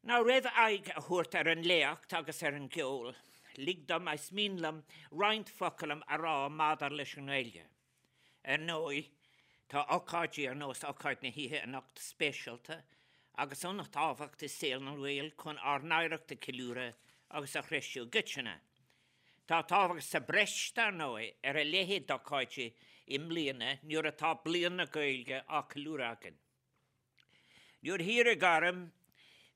Now roimh aghaidh a thabhairt ar an léacht agus ar an gceol, lig dom, is mian liom roinnt focal a rá maidir leis an nGaeilge. Ar ndóigh, tá ocáidí ar nós ocáid na hoíche anocht speisialta agus an-tábhacht i saol na nGael chun ár n-oidhreacht a cheiliúradh agus a threisiú i gcoitinne. Tá tábhacht sa bhreis, dar ndóigh, ar a leithéid d'ocáidí i mbliana nuair atá Bliain na Gaeilge á ceiliúradh againn. Nuair a hiarradh orm,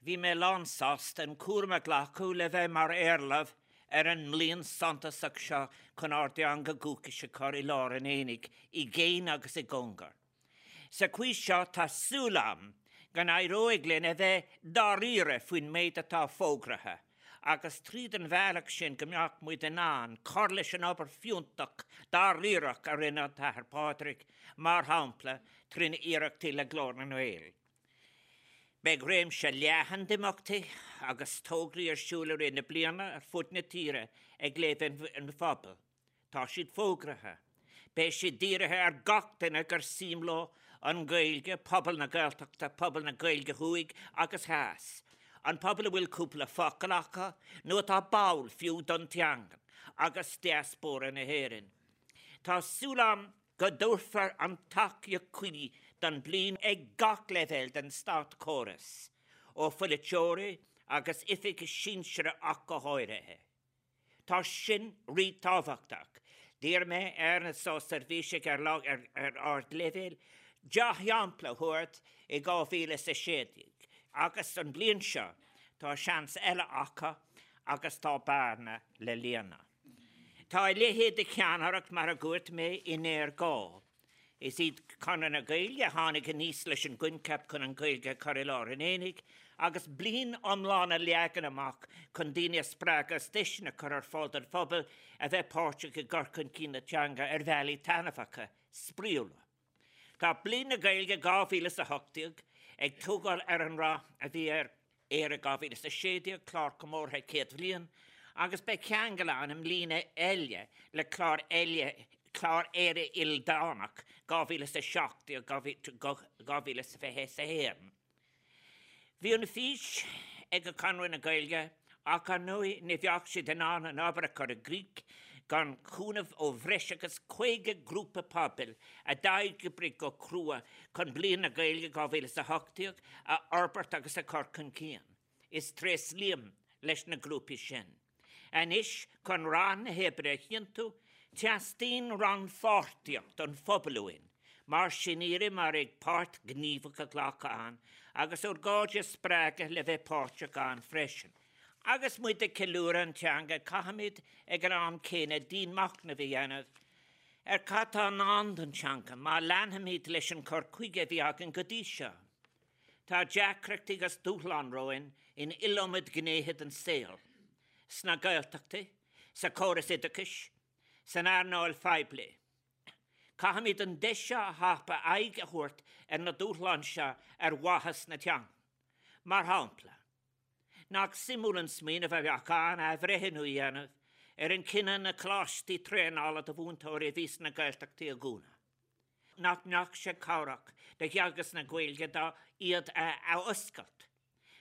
bhí mé lánsásta an cúram a ghlacadh le bheith mar éarlamh ar an mbliain suntasach seo chun ár dteanga dhúchais a chur i lár an aonaigh i gcéin agus i gcóngar. Sa chaoi seo tá súil agam go n-éireoidh linn a bheith dáiríre faoin méid atá fógraithe agus tríd an bhealach sin go mbeadh muid in ann cur leis an obair fiúntach dáiríreach a rinne an tAthair Pádraig, mar shampla, trína iarrachtaí le Glór na nGael. Beidh réimse leathan d'imeachtaí agus tograí ar siúl i rith na bliana ar fud na tíre ag leibhéal an phobail. Tá siad fógraithe. Beidh siad dírithe ar gach duine gur suim leo an Ghaeilge, pobal na Gaeltachta, pobal na Gaeilge thuaidh agus theas, an pobal a bhfuil cúpla focal acu nó atá báúil fiú don teanga, agus diaspóra na hÉireann. Tá súil agam go dtabharfar an tacaíocht chuí don bhliain ag gach leibhéal den státchóras, ó pholaiteoirí agus oifigigh sinsearacha ach go háirithe. Tá sin rí-tábhachtach. D'iarr mé ar na státseirbhísigh ar ardleibhéal dea-shampla a thabhairt i 2016 agus an bhliain seo tá seans eile acu agus tá bearna le líonadh. Tá a leithéid de cheannaireacht, mar a dúirt mé, i ngéarghá. Is iad Conradh na Gaeilge a tháinig aníos leis an gcoincheap chun an Ghaeilge a chur i lár an aonaigh agus bliain iomlán a leagan amach chun daoine a spreagadh agus deiseanna a chur ar fáil don phobal a bheith páirteach i gcur chun cinn na teanga ar bhealaí taitneamhacha, spraíúla. Tá Bliain na Gaeilge 2018 ag tógáil ar an rath a bhí ar Éire 2016, clár comórtha 100 bhliain, agus beidh ceangal ann i mbliana eile le clár eile, clár Éire Ildánach 2017-2021. Bhí an fís ag Conradh na Gaeilge ach ar ndóigh ní bheadh siad in ann an obair a chur i gcrích gan chúnamh ó bhreis agus 50 grúpa pobail a d'oibrigh go crua chun Bliain na Gaeilge 2018 a fhorbairt agus a chur chun cinn. Is tréaslaím leis na grúpaí sin. Anois, chun rath na hoibre a chinntiú, teastaíonn rannpháirtíocht an phobail uainn, mar sin iarraim oraibh páirt ghníomhach a ghlacadh ann agus ár gcairde a spreagadh le bheith páirteach ann freisin. Agus muid ag ceiliúradh an teanga, caithfimid ag an am céanna dianmhachnamh a dhéanamh ar cad tá i ndán don teanga má leanfaimid leis an chur chuige a bhí againn go dtí seo. Tá deacrachtaí agus dúshláin romhainn in iliomad gnéithe den saol, sna Gaeltachtaí, sa chóras oideachais, san earnáil phoiblí. Caithfimid an deis seo a thapú aghaidh a thabhairt ar na dúshláin seo ar mhaithe na teanga. Mar shampla, Nach suimiúil an smaoineamh a bheadh ann athbhreithniú a dhéanamh ar an chinneadh na coláistí traenála do mhúinteoirí a bhí sna Gaeltachtaí a dhúnadh? Nach mbeadh sé cabhrach do theagasc na Gaeilge dá iad a athoscailt?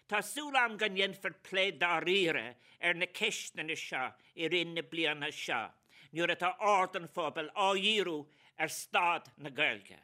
Tá súil agam go ndéanfar plé dáiríre ar na ceisteanna seo i rith na bliana seo nuair atá aird an phobail á dhíriú ar staid na Gaeilge.